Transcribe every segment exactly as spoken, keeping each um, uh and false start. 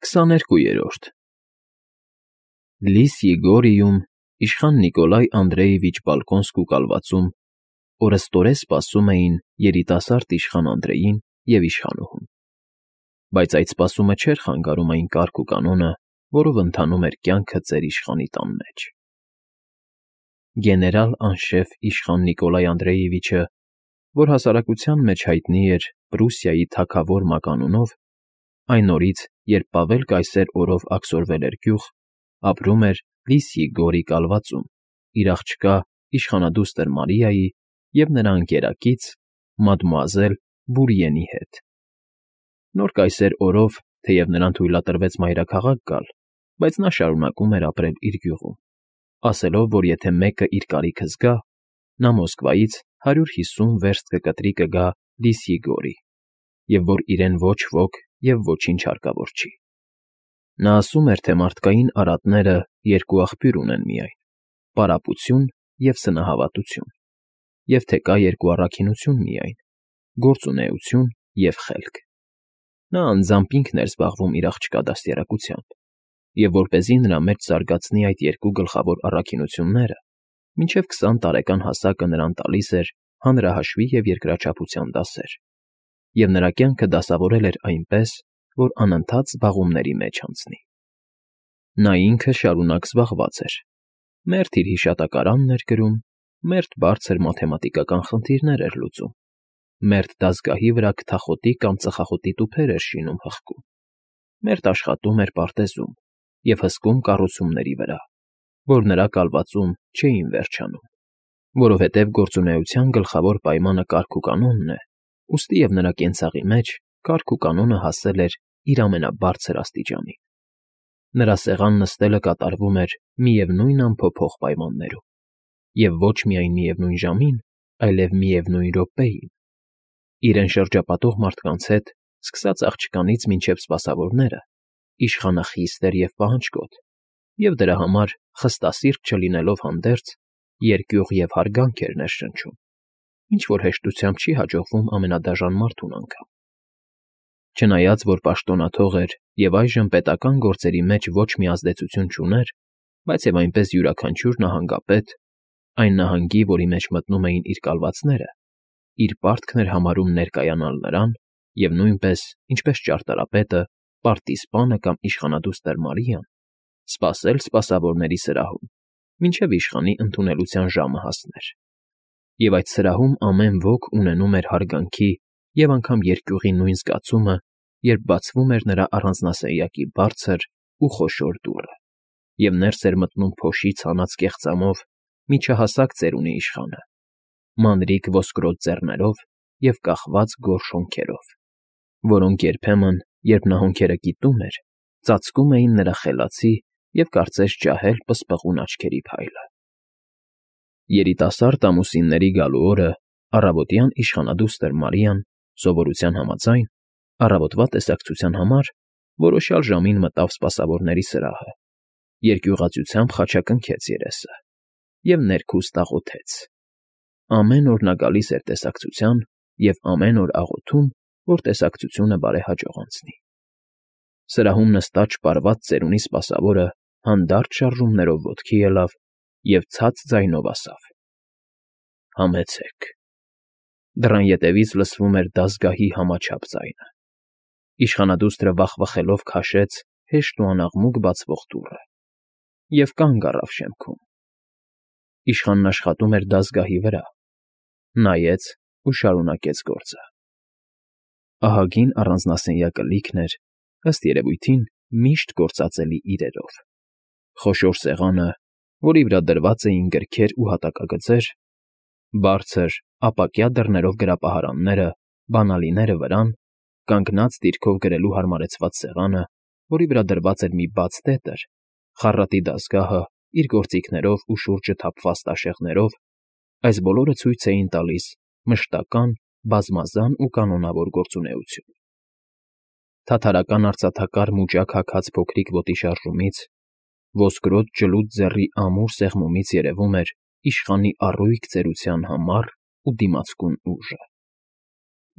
Քսաներկուերորդ Լիս Եգորիում իշխան Նիկոլայ Անդրեևիչ Բալկոնսկու կալվածում օրըստօրե սպասում էին երիտասարդ իշխան Անդրեյին և իշխանուհուն, բայց այդ սպասումը չէր խանգարում այն կարգ ու կանոնը, որով ընթանում էր կյանքը ծեր իշխանի տան մեջ։ Գեներալ անշեֆ իշխան Նիկոլայ Անդրեևիչը, որ հասարակության մեջ հայտնի էր Պրուսիայի թագավոր մականունով, այն օրից, երբ Պավել կայսեր օրով աքսորվել էր գյուղ, ապրում էր Լիս Եգորի կալվածում իր աղջկա իշխանադուստր Մարիայի և նրա ընկերակից մադմուազել Բուրիենի հետ։ Նոր կայսեր օրով, թեև նրան թույլատրվեց մայրաքաղաք գալ, բայց նա շարունակում էր ապրել իր գյուղում, ասելով, որ եթե մեկը իր կարիքը զգա, նա Մոսկվայից հարյուր հիսուն վերստ կկտրի կգա Լիս Եգորի, և որ իրեն ոչ ոք և ոչինչ հարկավոր չի։ Նա ասում էր, թե մարդկային արատները երկու աղբյուր ունեն միայն՝ պարապություն և սնահավատություն, և թե կա երկու առաքինություն միայն՝ գործունեություն և խելք։ Նա անձամբ ինքն էր զբաղվում իր աղջկա դաստիարակությամբ, և որպեսզի նրա մեջ զարգացնի այդ երկու գլխավոր առաքինությունները, մինչև քսան տարեկան հասակը նրան տալիս էր հանրահաշվի և երկրաչափության դասեր, և նրա կյանքը դասավորել էր այնպես, որ անընդհատ զբաղումների մեջ անցնի։ Նա ինքը շարունակ զբաղված էր, մերթ իր հիշատակարանն էր գրում, մերթ բարձր մաթեմատիկական խնդիրներ էր լուծում, մերթ դասգահի վրա քթախոտի կամ ծխախոտի տուփեր էր շինում֊հղկում, մերթ աշխատում էր պարտեզում և հսկում կառուցումների վրա, որ նրա կալվածում չէին վերջանում, որովհետև գործունեության գլխավոր պայմանը կարգ ու կանոնն է, ուստի և նրա կենցաղի մեջ կարգ ու կանոնը հասել էր իր ամենաբարձր աստիճանին։ Նրա սեղան նստելը կատարվում էր միևնույն անփոփոխ պայմաններում, և ոչ միայն միևնույն ժամին, այլև միևնույն րոպեին։ Իրեն շրջապատող մարդկանց հետ, սկսած աղջկանից մինչև սպասավորները, իշխանը խիստ էր և պահանջկոտ, և դրա համար, խստասիրտ չլինելով հանդերձ, երկյուղ և հարգանք էր ներշնչում, ինչ֊որ հեշտությամբ չի հաջողվում ամենադաժան մարդուն անգամ։ Չնայած որ պաշտոնաթող էր և այժմ պետական գործերի մեջ ոչ մի ազդեցություն չուներ, բայց և այնպես յուրաքանչյուր նահանգապետ, այն նահանգի, որի մեջ մտնում էին իր կալվածները, իր պարտքն էր համարում ներկայանալ նրան և նույնպես, ինչպես ճարտարապետը, պարտիզպանը կամ իշխանադուստր Մարիան, սպասել սպասավորների սրահում, մինչև իշխանի ընդունելության ժամը հասներ, և այդ սրահում ամեն ոք ունենում էր հարգանքի և անգամ երկյուղի նույն զգացումը, երբ բացվում էր նրա առանձնասենյակի բարձր ու խոշոր դուռը, և ներս էր մտնում փոշի ցանած կեղծամով միջահասակ ծերունի իշխանը, մանրիկ ոսկրոտ ձեռներով և կախված գորշ հոնքերով, որոնք երբեմն, երբ նա հոնքերը կիտում էր, ծածկում էին նրա խելացի և կարծես ջահել պսպղուն աչքերի փայլը։ Երիտասարդ ամուսինների գալու օրը առավոտյան իշխանադուստր Մարիան, սովորության համաձայն, առավոտվա տեսակցության համար որոշյալ ժամին մտավ սպասավորների սրահը, երկյուղածությամբ խաչակնքեց երեսը և ներքուստ աղոթեց։ Ամեն օր նա գալիս էր տեսակցության և ամեն օր աղոթում, որ տեսակցությունը բարեհաջող անցնի։ Սրահում նստած շպարված ծերունի սպասավորը հանդարտ շարժումներով ոտքի ելավ և ցած ձայնով ասավ. «Համեցեք»։ Դռան ետևից լսվում էր դասգահի համաչափ ձայնը։ Իշխանադուստրը վախվխելով քաշեց հեշտ ու անաղմուկ բացվող դուռը և կանգ առավ շեմքում։ Իշխանն աշխատում էր դասգահի վրա, նայեց ու շարունակեց գործը։ Ահագին առանձնասենյակը լիքն էր, ըստ երևույթին, միշտ գործածելի իրերով. խոշոր սեղանը, որի վրա դրված էին գրքեր ու հատակագծեր, բարձր, ապակյա դռներով գրապահարանները, բանալիները վրան, կանգնած դիրքով գրելու հարմարեցված սեղանը, որի վրա դրված էր մի բաց տետր, խառատի դասգահը՝ իր գործիքներով ու շուրջը թափված տաշեղներով, այս բոլորը ցույց էին տալիս մշտական, բազմազան ու կանոնավոր գործունեություն։ Թաթարական արծաթակար մուճակ հագած փոքրիկ ոտի շարժումից, ոսկրոտ ջլուդ ձեռի ամուր սեղմումից երևում էր իշխանի առույգ ծերության համառ ու դիմացկուն ուժը։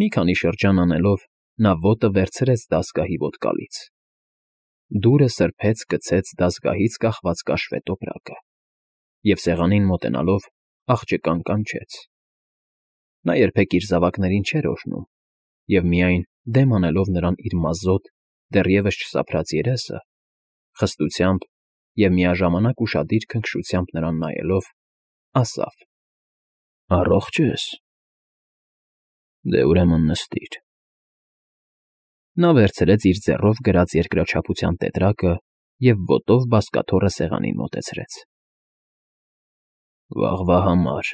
Մի քանի շրջան անելով՝ նա ոտը վերցրեց դասգահի ոտկալից։ դուրը սրբեց գցեց դասգահից կախված կաշվե տոպրակը և սեղանին մոտենալով աղջկան կանչեց։ Նա երբեք իր զավակներին չէր օրհնում և միայն, դեմ անելով նրան իր մազոտ, դեռևս չսափրած երեսը, խստությամբ և միաժամանակ ուշադիր քնքշությամբ նրան նայելով, ասավ. «Առողջ ես։ Դե ուրեմն նստիր»։ Նա վերցրեց իր ձեռով գրած երկրաչափության տետրակը և ոտով բազկաթոռը սեղանին մոտեցրեց։ «Վաղվա համար»,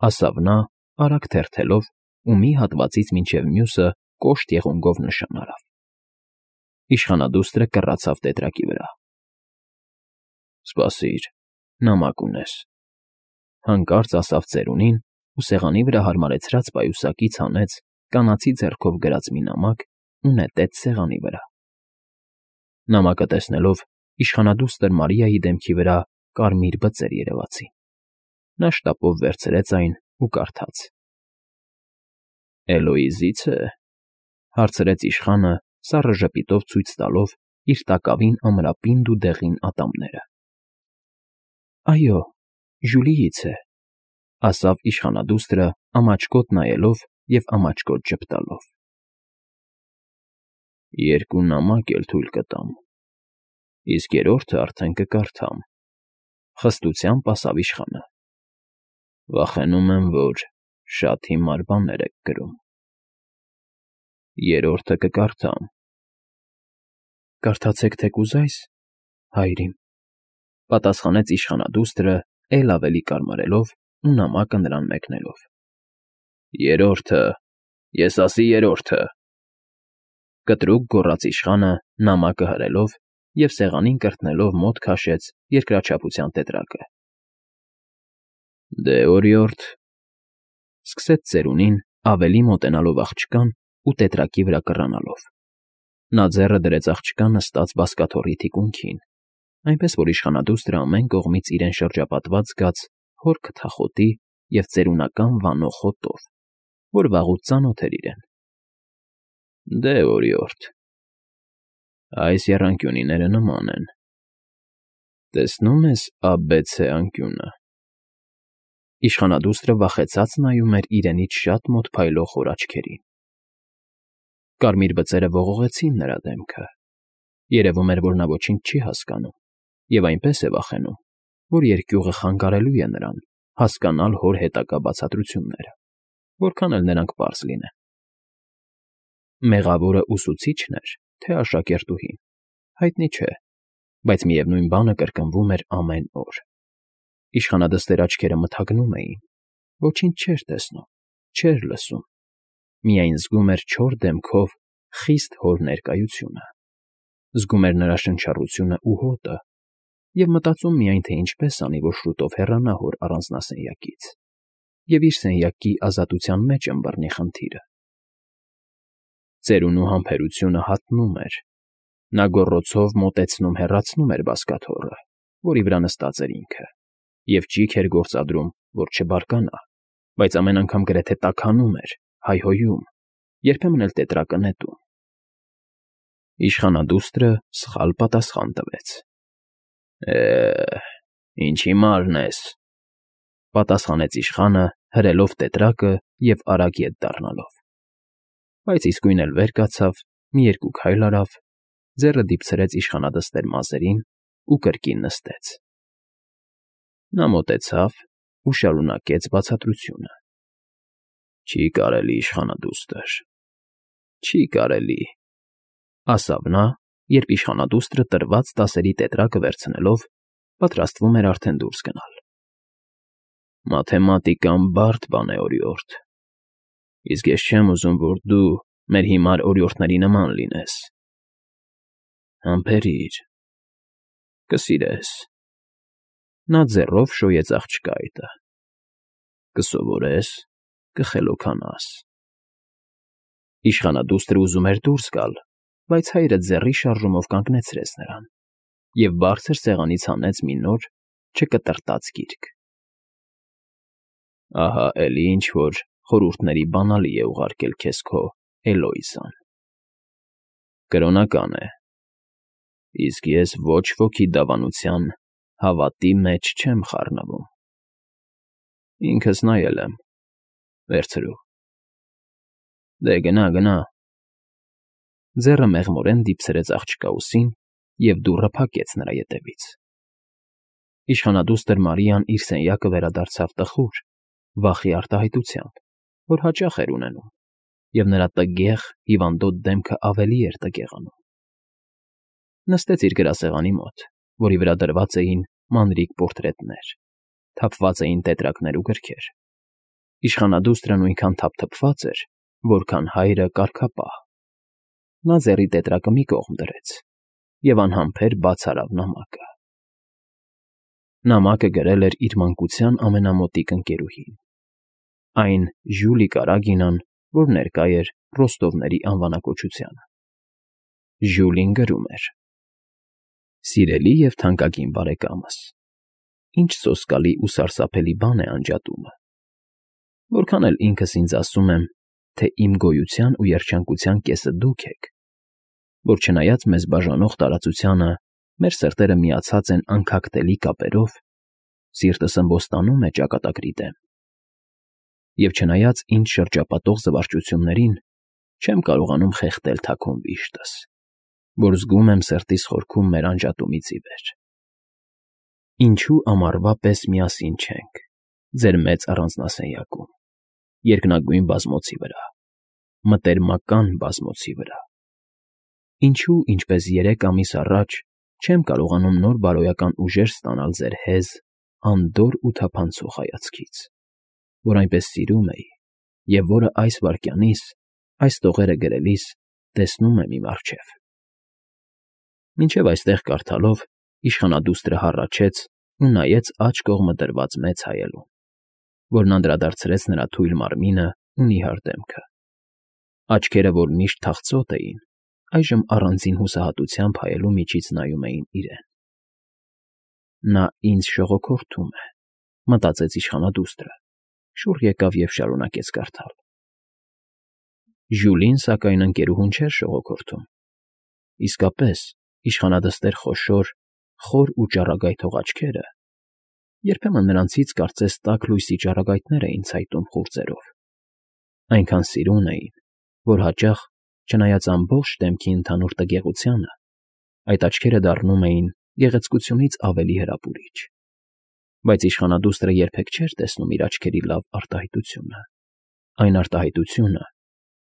ասավ նա, արագ թերթելով ու մի հատվածից մինչև մյուսը կոշտ եղունգով նշան արավ։ Իշխանադուստրը կռացավ տետրակի վրա։ «Սպասիր, նամակ ունես», հանկարծ ասավ ծերունին ու սեղանի վրա հարմարեցրած պայուսակից հանեց կանացի ձեռքով գրած մի նամակ ու նետեց սեղանի վրա։ Նամակը տեսնելով իշխանադուստր Մարիայի դեմքի վրա կարմիր բծեր երևացին։ Նա շտապով վերցրեց այն ու կարդաց. «Էլոիզի՞ց է», հարցրեց իշխանը, սառը ժպիտով ցույց տալով իր տակավին ամրապինդ ու դեղին ատամները։ «Այո, Ժյուլիից է», ասավ իշխանադուստրը ամաչկոտ նայելով և ամաչկոտ ժպտալով։ «Երկու նամակ էլ թույլ կտամ, իսկ երրորդը արդեն կկարդամ», խստությամբ ասավ իշխանը։ «Վախենում եմ, որ շատ հիմար բաներ եք գրում»։ «Երրորդը կկարդամ»։ «Կարդացեք թեկուզ այս, հայր իմ», պատասխանեց իշխանադուստրը էլ ավելի կարմարելով ու նամակը նրան մեկնելով։ «Երրորդը, ես ասի երրորդը», կտրուկ գոռաց իշխանը նամակը հրելով և սեղանին կրտնելով մոտ քաշեց երկրաչափության տետրակը։ «Դե, օրիորդ», սկսեց ծերունին ավելի մոտենալով աղջկան ու տետրակի վրա կռանալով։ Նա ձեռը դրեց աղջկա նստած բազկաթոռի թիկունքին, այնպես որ իշխանադուստրը ամեն կողմից իրեն շրջապատված զգաց հոր քթախոտի և ծերունական վանող հոտով, որ վաղուց ծանոթ էր իրեն։ «Դե, օրիորդ, այս եռանկյունիները նման են։ Տեսնո՞ւմ ես աբեցե անկյունը»։ Իշխանադուստրը վախեցած նայում էր իրենից շատ մոտ փայլող հոր աչքերին։ Կարմիր բծերը ողողեցին նրա դեմքը։ Երևում էր, որ նա ոչինչ չի հասկանում և այնպես է վախենում, որ երկյուղը խանգարելու է նրան հասկանալ հոր հետագա բացատրությունները, որքան էլ նրանք պարզ լինեն։ Մեղավորը ուսուցի՞չն էր, թե աշակերտուհին, հայտնի չէ, բայց միևնույն բանը կրկնվում էր ամեն օր։ Իշխանադստեր աչքերը մթագնում էին, ոչինչ չէր տեսնում, չէր լսում, միայն զգում էր չոր դեմքով խիստ հոր ներկայությունը, զգում էր նրա շնչառությունը ու հոտը և մտածում միայն, թե ինչպես անի, որ շուտով հեռանա հոր առանձնասենյակից և իր սենյակի ազատության մեջ ըմբռնի խնդիրը։ Ծերունու համբերությունը հատնում էր։ Նա գոռոցով մոտեցնում֊հեռացնում էր բազկաթոռը, որի վրա նստած էր ինքը, և ճիգ էր գործադրում, որ չբարկանա, բայց ամեն անգամ գրեթե տաքանում էր, հայհոյում, երբեմն էլ տետրակը նետում։ Իշխանադուստրը սխալ պատասխան տվեց։ «Է, ինչ հիմարն ես», պատասխանեց իշխանը, հրելով տետրակը և արագ ետ դառնալով։ Բայց իսկույն էլ վեր կացավ, մի երկու քայլ արավ, ձեռը դիպցրեց իշխանադստեր մազերին ու կրկին նստեց։ Նա մոտեցավ ու շարունակեց բացատրությունը. «Չի կարելի, իշխանադուստր, չի կարելի», ասավ նա, երբ իշխանադուստրը տրված տասերի տետրակը վերցնելով պատրաստվում էր արդեն դուրս գնալ։ «Մաթեմատիկան բարդ բան է, օրիորդ, իսկ ես չեմ ուզում, որ դու մեր հիմար օրիորդների նման լինես։ Համբերիր, կսիրես»։ Նա ձեռով շոյեց աղջկա այտը։ «Կսովորես, կխելոքանաս»։ Իշխանադուստրը ուզում էր դուրս գալ, բայց հայրը ձեռի շարժումով կանգնեցրեց նրան և բարձր սեղանից հանեց մի նոր, չկտրտած գիրք։ «Ահա էլի ինչ֊որ խորհուրդների բանալի է ուղարկել քեզ քո Էլոիզան։ Կրոնական է, Իսկ ես ոչ ոքի դավանության հավատի մեջ չեմ խառնվում։ Ինքս նայել եմ, վերցրու։ Դե գնա, գնա։ Ձեռը մեղմորեն դիպցրեց աղջկա ուսին և դուռը փակեց նրա ետևից։ Իշխանադուստր Մարիան իր սենյակը վերադարձավ տխուր, վախի արտահայտությամբ, որ հաճախ էր ունենում, և նրա տգեղ, հիվանդոտ դեմքը ավելի էր տգեղանում։ Նստեց իր գրասեղանի մոտ, որի վրա դրված էին մանրիկ պորտրետներ, թափված էին տետրակներ ու գրքեր։ Իշխանադուստրը նույնքան թափթփված էր, որքան հայրը կարգապահ։ Նա ձեռի տետրակը մի կողմ դրեց և անհամբեր բաց արավ նամակը։ Նամակը գրել էր իր մանկության ամենամոտիկ ընկերուհին, այն Ժյուլի Կարագինան, որ ներկա էր Ռոստովների անվանակոչությանը։ Ժյուլին գրում էր. Սիրելի և թանկագին բարեկամս, ինչ սոսկալի ու սարսափելի բան է անջատումը։ Որքան էլ ինքս ինձ ասում եմ, թե իմ գոյության ու երջանկության կեսը դուք եք, որ չնայած մեզ բաժանող տարածությանը մեր սրտերը միացած են անքակտելի կապերով, սիրտս ըմբոստանում է ճակատագրի դեմ։ Եվ չնայած ինձ շրջապատող զվարճություններին, չեմ կարողանում խեղդել թաքուն վիշտս, որ զգում եմ սրտիս խորքում մեր անջատումից ի վեր։ Ինչու ամառվա պես միասին չենք ձեր մեծ առանձնասենյակում, երկնագույն բազմոցի վրա, մտերմական բազմոցի վրա։ Ինչու, ինչպես երեք ամիս առաջ, չեմ կարողանում նոր բարոյական ուժեր ստանալ ձեր հեզ, անդորր ու թափանցող հայացքից, որ այնպես սիրում էի և որը այս վայրկյանիս, այս տողերը գրելիս տեսնում եմ իմ առջև։ Մինչև այստեղ կարդալով իշխանադուստրը հառաչեց ու նայեց աջ կողմը դրված մեծ հայելուն, որն անդրադարձրեց նրա թույլ մարմինը ու նիհար դեմքը։ Աչքերը, որ միշտ թախծոտ էին, այժմ առանձին հուսահատությամբ հայելու միջից նայում էին իրեն։ Նա ինձ շողոքորթում է, մտածեց իշխանադուստրը, շուռ եկավ և շարունակեց կարդալ։ Ժյուլին, սակայն, ընկերուհուն չէր շողոքորթում։ Իսկապես, իշխանադստեր խոշոր, խոր ու ճառագայթող աչքերը, երբեմն նրանցից կարծես տաք լույսի ճառագայթներ էին ցայտում խուրձերով, այնքան սիրուն էին, որ հաճախ, չնայած ամբողջ դեմքի ընդհանուր տգեղությանը, այդ աչքերը դառնում էին գեղեցկությունից ավելի հրապուրիչ։ Բայց իշխանադուստրը երբեք չէր տեսնում իր աչքերի լավ արտահայտությունը, այն արտահայտությունը,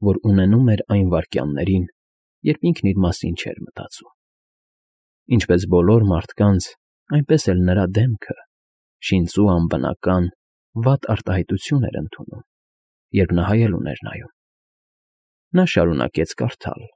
որ ունենում էր այն վայրկյաններին, երբ ինքն իր մասին չէր մտածում։ Ինչպես բոլոր մարդկանց, այնպես էլ նրա դեմքը շինծու անբնական, վատ արտահայտություն էր ընդունում, երբ նա հայելուն էր նայում։ Նա շարունակեց կարդալ.